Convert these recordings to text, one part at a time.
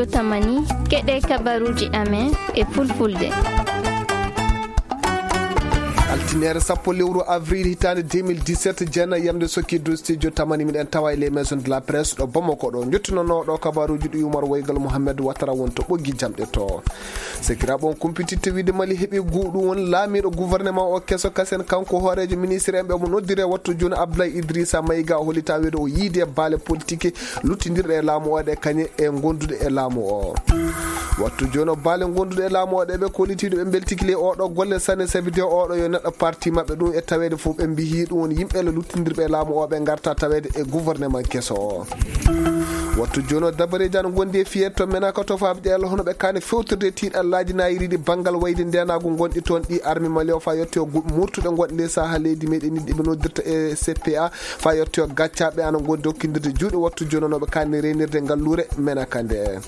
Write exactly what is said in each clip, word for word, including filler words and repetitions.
Tamani, keɗe kabaruuji amen e fulfulde. Altinere sappo lewru avril hitaande deux mille dix-sept, jeenayi yamde sokki dow studio Tamani, miɗen tawa e les maisons de la presse ɗo Bamako ɗo. Njottinonoo ɗo kabaruuji ɗi Umar Waygal Mohamed Watara won to ɓoggi jamɗe to. Sekiraaɓe, on kumpititte wiide Mali heɓi guuɗu won laamiiɗo gouvernement o keso kasen, kanko hooreejo ministre en ɓe mo noddire wattu jooni Abdoulaye Idrissa Maïga, o hollita wiide o yiide baale politique luttindirɗe e laamu o ɗe kañe e gonduɗe e laamu o. Wattu jooni o baale gonduɗe e laamu o ɗe ɓe kollitiiɗo ɓe mbeltiki ley oɗo golle sanne, sabi de oɗo yo neɗɗo parti maɓɓe ɗum e taweede fof ɓe mbiyi ɗum woni yimɓe le luttindirɓe e laamu o ɓe ngarta taweede e gouvernement keso o. Wattu jooni o dabareeji ana ngondi e fiyee to Menaka to faaɓi ɗe Allah hono ɓe kaani fewtorde tiiɗallaaji naayiriiɗi banngal wayde ndeenaagu ngonɗi toon ɗi armi Mali o faa yotti o gu-, murtuɗe ngonɗe ley saha leydi meɗen ɗi ɓe noddirta e C P A. Faa yotti o gaccaaɓe ana ngondi okkindirde juuɗe wattu jooni o no ɓe kaani reynirde ngalluure Menaka nde.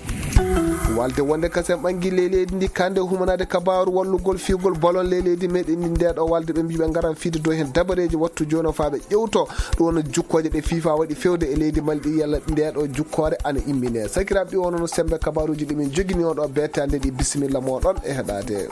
Walde wonde kasen ɓangi ley leydi ndi kande humanaade kabaaru wallugol fiigol balon ley leydi meɗen ndi nde ɗo walde ɓe mbiɓe ngaran fiide dow heen dabareeji wattu jooni o faa ɓe ƴewto ɗum woni jukkooje ɗe fifa waɗi fewde e leydi Mali ɗi yalla nde ɗo jukkoore ana immine. Sakiraaɓe ɗi wonno sembe kabaaruuji ɗi min jogini on ɗo beete hannde ɗi bisimilla moɗon e heɗaade.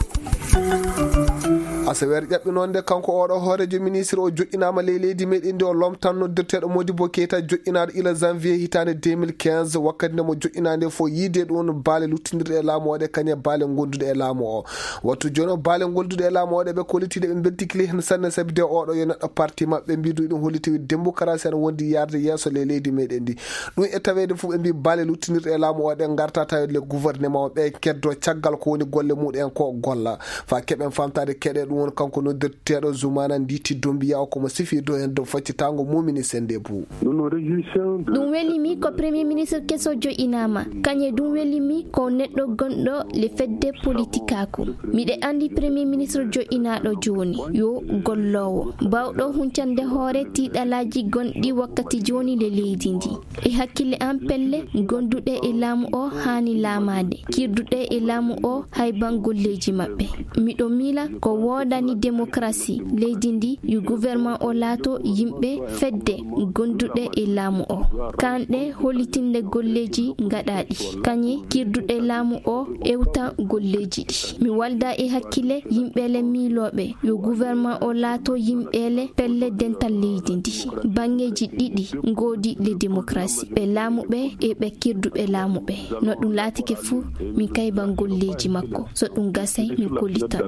Asaweere ƴaɓɓinoonde kanko oɗo hooreejo ministre o joƴƴinaama ley leydi meɗen ndi o lomtan noddirteeɗo Modibo Keita joƴƴinaaɗo ila janvier hitaande deux mille quinze wakkati nde mo joƴƴinaande fof yiide ɗum baale luttindirɗe e laamu o ɗe kañe baale gonduɗe e laamu o. Wattu jooni o baale gonduɗe e laamu o ɗe ɓe kollitiiɗe ɓe mbeltikili heen sanne sabi de oɗo yo neɗɗo parti maɓɓe mbidu ɗum holliti wiide démocratie ene wondi yarde yeeso ley leydi meɗen ndi. Ɗum e taweede fof ɓe mbi baale luttinirɗe e laamu o ɗe ngarta taweede le gouvernement o ɓe keddo caggal ko woni golle muɗen ko golla. Fa keɓen famtaade keɗe ɗum woni kanko noddirteeɗo Zoumana Nditi Doumbouya o komo sifi dow heen dow faccitango mumini sende bu. Nous nous réjouissons de Ɗum weli mi ko premier ministre keso joƴinaama. Kañe ɗum weli mi ko neɗɗo gonɗo le fedde politikaaku. Miɗe anndi premier ministre joƴinaaɗo jooni yo golloowo, baawɗo huncande hoore tiiɗalaaji gonɗi wakkati jooni le leydi ndi. E hakkille am pelle gonduɗe e laamu o haani laamaade, kirduɗe e laamu o hay ban golleeji maɓɓe. Miɗo miila ko woodani démocratie leydi ndi yo gouvernement o laato yimɓe fedde gonduɗe e laamu o. Kanɗe hollitinde golleeji ngaɗaaɗi, kañe kirduɗe laamu o ewta golleeji ɗi. Mi walda e hakkille yimɓe le miilooɓe yo gouvernement o laato yimɓe le pelle dental leydi ndi. Banŋeeji ɗiɗi ngoodi le démocratie, ɓe laamuɓe e ɓe kirduɓe laamuɓe. No ɗum laatike fuu, min kayban golleeji makko. So ɗum gasay, min kollitan.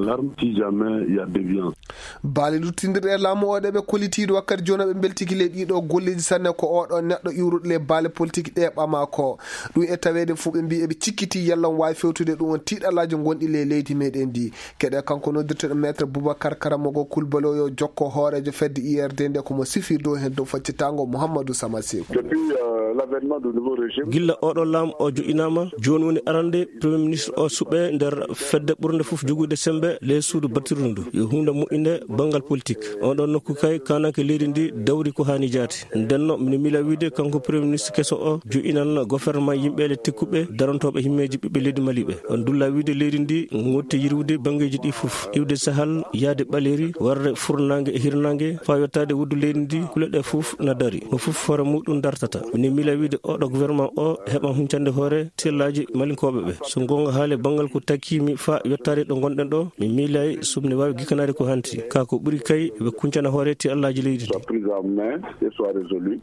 Baale luttindirɗe e laamu o ɗe ɓe kollitiiɗo wakkati jooni ɓe mbeltiki le ɗiɗo golleeji sanne ko oɗo neɗɗo iwruɗo le baale politique ɗe ɓama ko. Ɗum e taweede fuu ɓe mbi eɓe cikkiti yalla on waawi fewtude ɗum on tiiɗalaaji gonɗi le leydi meɗen ndi. Keɗe kanko noddirteɗo maître Boubacar Karamogo Kulbalo yo jokko hooreejo fedde I R D nde komo sifi dow heen dow faccitango Mouhamadou Sama Sekou. Depuis, euh, l'avènement du nouveau régime. Gilla oɗo laam o joƴinaama, jooni woni arande premier ministre o suɓe nder fedde ɓurnde fof jogude sembe ley suudu battirdu ndu. Yo huunde moƴƴinde banngal politique. On ɗon nokku kay kananke leydi ndi dawri ko haani jaati. Ndenno mino miila wiide kanko premier ministre keso o joƴinan gouvernement yimɓe le tekkuɓe darantooɓe himmeeji ɓiɓɓe leydi Mali ɓe. On dulla wiide leydi ndi ngotti yirwude banngeeji ɗi fof. Iwde sahal, yahde ɓaleeri, warde furnaange e hirnaange, faa yottaade wuddu leydi ndi, kule ɗe fof na dari. Mo fof hoore muɗum dartata. Mino miila wiide oɗo gouvernement o heɓan huncande hoore tellaaji malinkooɓe ɓe. So goonga haale banngal ko takkiimi faa yottaade ɗo ngonɗen ɗo, mi miilay so mino waawi gikkanaade ko hanti. Kaa ko ɓuri kay, ɓe kuncana hoore tellaaji leydi ndi. Soit prise en main et soit résolue.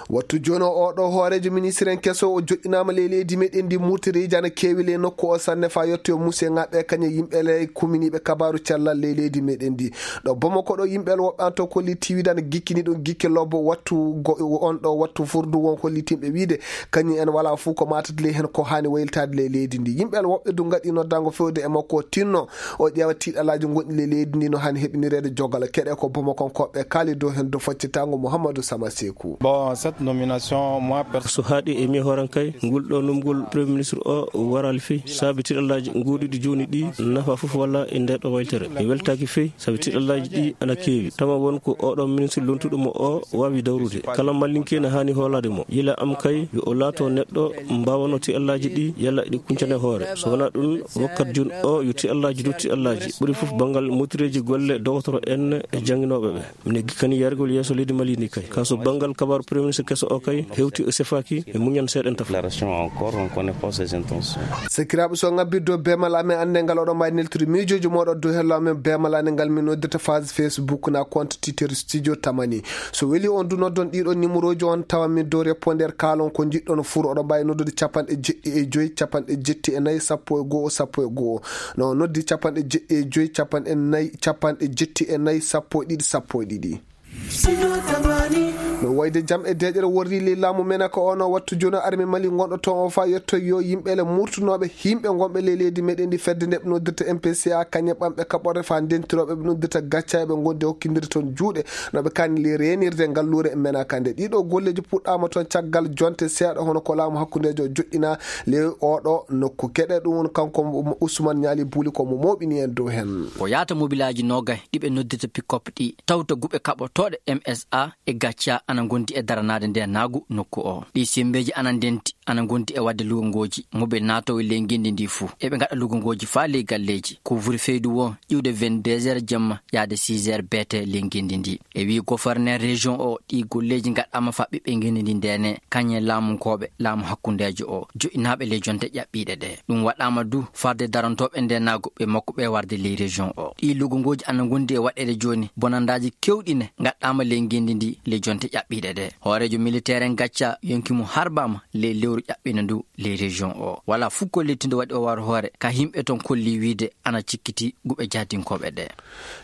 Wattu jooni o, oɗo hooreejo ministre en keso o joƴƴinaama ley leydi meɗen ndi murtiriiji ana keewi ley nokku o sanne faa yotti o muse ŋaɓɓe kañe yimɓe ley kuminiiɓe kabaaru cellal ley leydi meɗen ndi. Ɗo Bamako ɗo yimɓe woɓɓe an to kolli tiwidana gikkini ɗum gikke lobbo wattu go-, on ɗo wattu furdu won hollitinɓe wiide kañum en wala fuu ko matata ley heen ko haani waylitaade ley leydi ndi. Yimɓe woɓɓe du ngaɗi noddango fewde e makko o tinno o ƴeewa tiiɗalaaji gonɗi ley leydi ndi no haani heɓinireede jogal. Keɗe ko Bamako koɓɓe kaali dow heen dow faccitango Mouhamadou Sama Sekou. Bon, cette nomination, moi, perso- So haaɗi e mi hooran kay, ngol ɗo numgol Premier Ministre o waral fii, saabi tiiɗalaaji gooduɗi jooni ɗi nafa fof walla e nde ɗo waytere. Mi weltaaki fii, sabi tiiɗalaaji ɗi ana keewi. Tama won ko oɗo ministre lontuɗo mo o waawi dawrude. Kala mallinke na haani hoolaade mo. Yila am kay, yo o laato neɗɗo mbaawano tiiɗalaaji ɗi, yalla ɗi kuncane hoore. So wonaa ɗum, wakkat jun o yo tiiɗalaaji du tiiɗalaaji. Ɓuri fof banngal Mutireeji golle dogotoro en e jannginooɓe ɓe. Mine gikkani yargol yeeso leydi Mali ndi kay. Kaso banngal kabaru Premier Ministre keso o kay hewti o sefaaki e muñan seeɗen tafa. La région encore, on connaît pas ses intentions. Sakiraaɓe, so ngabbirde o beemal amen annde ngal oɗon mbawi neltude miijooji mooɗon dow hello amen beemal annde ngal min noddirta phase Facebook na compte Twitter Studio Tamani. So weli on du noddon ɗiɗo numéroji on tawa min dow répondeur kaalon ko jiɗɗon fur oɗon mbawi noddude capanɗe jeɗɗi e joyi capanɗe jetti e nayi sappo e go'o sappo e go'o. No noddi capanɗe jeɗɗi e joyi capanɗe nayi capanɗe jetti e nayi sappo e ɗiɗi sappo e ɗiɗi. No wayde jam e deeƴere worri ley laamu mena ko ono wattu jono armi mali gonɗo toon o fa yetto yo yimɓe le murtunooɓe yimɓe gonɓe ley leydi meɗen ndi fedde nde ɓe noddirta M P C A kañe ɓamɓe kaɓɓorde fa ndentirooɓe ɓe noddirta gacca eɓe gondi e hokkindiri toon juuɗe no ɓe kani ley reenirde ngalluure mena kande ɗiɗo golleeji puɗɗaama toon caggal jonte seeɗa hono ko laamu hakkundeejo joɗɗina ley oɗo nokku keɗe ɗum woni kanko Ousmane Ñaali Buuli ko mo mooɓini en dow heen. Ko yaata mobilaaji noogay ɗi ɓe noddirta pick-up ɗi tawta guɓe kaɓotooɗe M S A e gacca ana ngondi e daranaade nde naagu nokku o. Ɗi sembeeji ana ndenti ana ngondi e waɗde lugongooji mobil naatoowo ley ngenndi ndi fuu. Eɓe ngaɗa lugongooji faa ley galleeji. Ko wuri feydu woo iwde vingt-deux heures jamma yaade six heures beete ley ngenndi ndi. E wii goforneer région o ɗi golleeji ngaɗaama faa ɓiɓɓe ngenndi ndi ndeene kañe laamunkooɓe laamu hakkundeejo o joɗɗinaaɓe ley jonte ƴaɓɓiiɗe ɗe. Ɗum waɗaama du farde darantooɓe nde naago ɓe makko ɓe warde ley région o. Ɗi lugungooji ana ngondi e waɗeede jooni bonandaaji kewɗine ngaɗaama ley ngenndi ndi ley jonte ƴaɓɓiiɗe ɗe. Hooreejo militeer en gacca yonki mum harbaama ley lewru ƴaɓɓiina ndu ley région o. Wala fuu ko lettindo waɗi o war hoore ka yimɓe toon kolli wiide ana cikkiti guɓe jahdinkooɓe ɗe.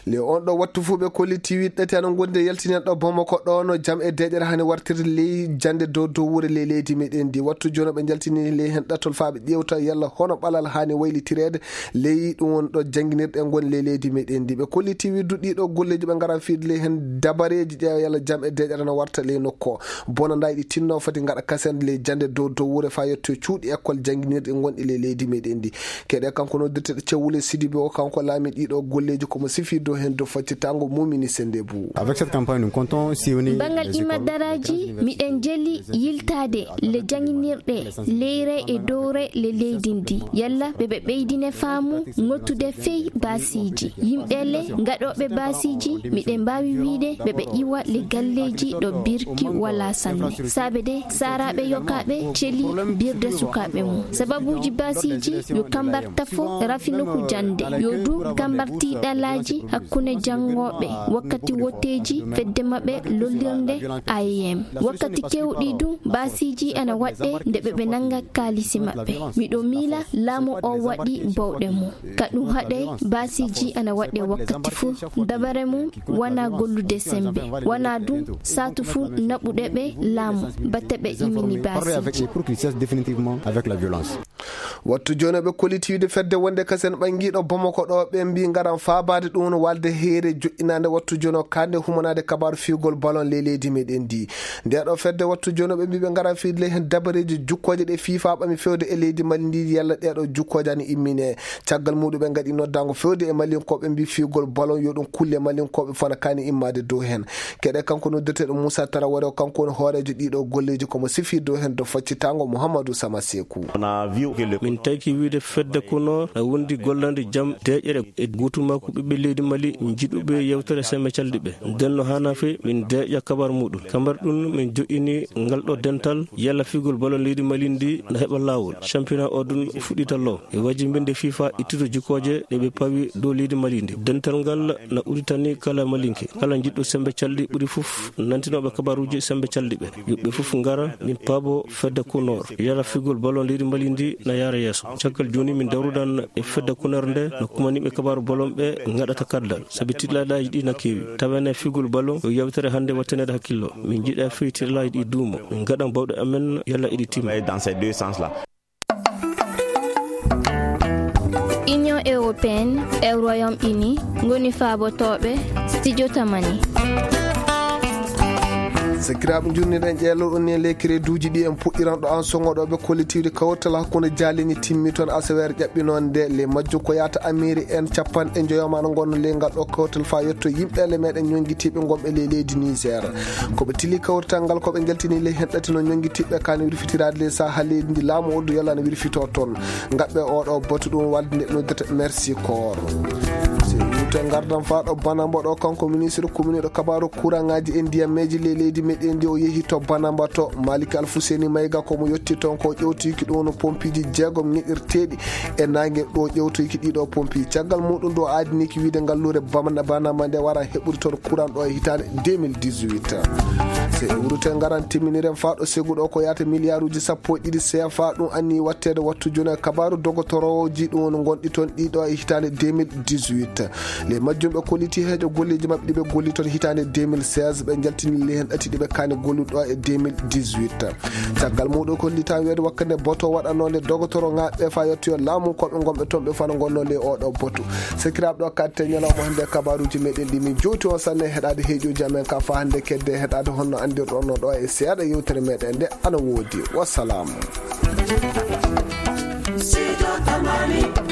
Le on ɗo wattu fuu ɓe kolli tiwi ɗati ana ngondi e yaltinen ɗo Bamako ɗo no jam e deeƴere hani wartirde ley jannde dow dow wure ley leydi meɗen ndi. Wattu jono ɓe jaltini ley hen ɗatol faa ɓe ƴeewta yalla hono ɓalal hani waylitireede ley ɗum woni ɗo jannginirɗe ngoni ley leydi meɗen ndi. Ɓe kolli tiwi du ɗiɗo golleeji ɓe ngaran fiide ley hen dabareeji ƴeewa yalla jam e deeƴere no warta ley nokko. Bona nda ɗi tinno foti ngaɗa kasende ley jannde dow dow wure faa yetto cuuɗi école jannginirɗi ngonɗi ley leydi meɗen ndi. Keɗe kanko noddirteɗo Cewule Sidibe o, kanko laami ɗiɗo golleeji ko mo sifi dow heen dow faccitango mumini sende bu. Avec cette campagne, nous comptons sillonner bangal les écoles, imma les daraaji, miɗen jeli yiltaade le jannginirɗe leyre e dowre le leydi ndi. Yalla ɓe ɓe ɓeydine faamu ngottude fey baasiiji. Yimɓe le ngaɗooɓe baasiiji, miɗen mbaawi wiide ɓe ɓe iwa le galleeji ɗo birki wala sanne. Saabe de, saaraaɓe yokaaɓe celi birde sukaaɓe mum. Sababuuji baasiiji yo kambar tafo rafino ko jannde. Yo du kambar tiiɗalaaji hakkunde janngooɓe wakkati wotteeji fedde maɓɓe lollirnde A E M. Wakkati kewɗi du baasiiji ana waɗɗe nde ɓe ɓe nannga kaalisi maɓɓe. Miɗo miila laamu o waɗi bawɗe mum. Ka ɗum haɗe baasiiji ana waɗɗe wakkati fuu. Dabare mum wana gollude sembe. Wana du saatu fuu naɓude ɓe laamu batte ɓe imini baasiiji. Pour qu'ils cessent définitivement avec la violence. Wattu jono ɓe kolliti wiide fedde wonde kasen ɓangiiɗo Bamako ɗo ɓe mbi ngaran faabaade ɗum no walde heere joɗɗinaande wattu jono kande humanaade kabaaru fiigol balon ley leydi meɗen ndi. Nde ɗo fedde wattu jono ɓe mbi ɓe ngaran fiide ley hen dabareeji jukkooje ɗe fifa ɓami fewde e leydi Mali ndi yalla ɗe ɗo jukkooje ani immine. Caggal muɗum ɓe ngaɗi noddaango fewde e Malinkooɓe mbi fiigol balon yo ɗum kulle Malinkooɓe fana kani immaade dow hen. Keɗe kanko noddirteɗo Moussa Tarawore o kanko woni hooreejo ɗiɗo golleeji komo sifi dow hen dow faccitango Mouhamadou Sama Sekou. Min tawki wiide fedde kono na wondi gollande jam deeƴere e guutu makko ɓiɓɓe leydi Mali jiɗuɓe yewtere sembe calɗi ɓe. Nden no hana fe min deeƴa kabar muɗum. Kambar ɗum min joɗɗini ngal ɗo dental yalla figol balon leydi Mali ndi na heɓa laawol. Championnat o ɗum fuɗɗita law. E waji mbinde fifa ittude jikkoje ɗe ɓe pawi dow leydi Mali ndi. Dental ngal na uditani kala Malinke. Kala jiɗɗo sembe calɗi ɓuri fof nantinoɓe kabaruji sembe calɗi ɓe. Yoɓɓe fof ngara min paabo fedde kunor. Yalla figol balon leydi Mali ndi na yaara yeeso. Caggal jooni min dawrudan e fedde kunor nde no kumaniɓe kabaru balon ɓe ngaɗata kardal. Sabi tiɗɗalaaji ɗi na keewi. Tawene figol balon yo yawtere hannde wattanede hakkillo. Min jiɗa fii tiɗɗalaaji ɗi duumo. Min ngaɗan bawɗe amen yalla iɗi timma. Dans ces deux sens-là. Union européenne e Royaume-Uni ngoni faabotooɓe Studio Tamani. Sakiraaɓe, njurniɗen ƴeelol on ni e ley crédit uji ɗi en puɗɗiran ɗo an sogoɗo ɓe kollitiiɗe kawtal hakkunde jaalini timmi toon asaweere ƴaɓɓinoonde. Ley majjum ko yaata amiiri en capanɗe njoyo ma no ngonno ley ngal ɗo kawtal faa yetto yimɓe le meɗen ñonngitiiɓe ngonɓe ley leydi Niger. Ko ɓe tili kawrital ngal ko ɓe njaltini ley hen ɗati no ñonngitiiɓe ka no wirfitiraade ley saha leydi ndi laamu oddu yalla no wirfito toon. Ngaɓɓe oɗo batu ɗum walde nde noddata Mercy Corps. Te ngardan faa ɗo Banamba ɗo, kanko ministre kuminiiɗo kabaaru kuraŋaaji e ndiyammeeji ley leydi meɗen ndi, o yehi to Banamba to. Maliki Alfuseni Mayga ko mo yotti toon ko ƴewtoyki ɗum woni pompiiji jeegom ngeɗirteeɗi e naange ɗo ƴewtoyki ɗiɗo pompi. Caggal muɗum ɗo aadiniki wiide ngalluure Bamana-, Banamba nde wara heɓude toon kuran ɗo e hitaande deux mille dix-huit. Se iwrute ngaran timminiren faa ɗo segu ɗo ko yaata miliyaaruuji sappo e ɗiɗi C F A ɗum anni watteede wattu jooni e kabaaru dogotorooji ɗum woni ngonɗi toon ɗiɗo e hitaande deux mille dix-huit. Ley majjum ɓe kolliti heejo golleeji maɓɓe ɗi ɓe golli toon hitaande deux mille seize, ɓe njaltini ley heen ɗati ɗi ɓe kaani gollude ɗo e deux mille dix-huit. Caggal muɗum kollita weedo wakkande boto waɗanoo nde dogotoro ŋaaɓe faa yettoyo laamu ko ɓe ngonɓe toon ɓe fano ngonnoo ley oo ɗo botu. Sakiraaɓe ɗo katte ñalawma hannde kabaaruuji meɗen ɗi min jowti on sanne heɗaade heeƴuuji amen ka faa hannde kedde heɗaade honno anndirɗon no ɗo e seeɗa yewtere meɗen nde ana woodi. Wassalaamu. Sijo Tamani.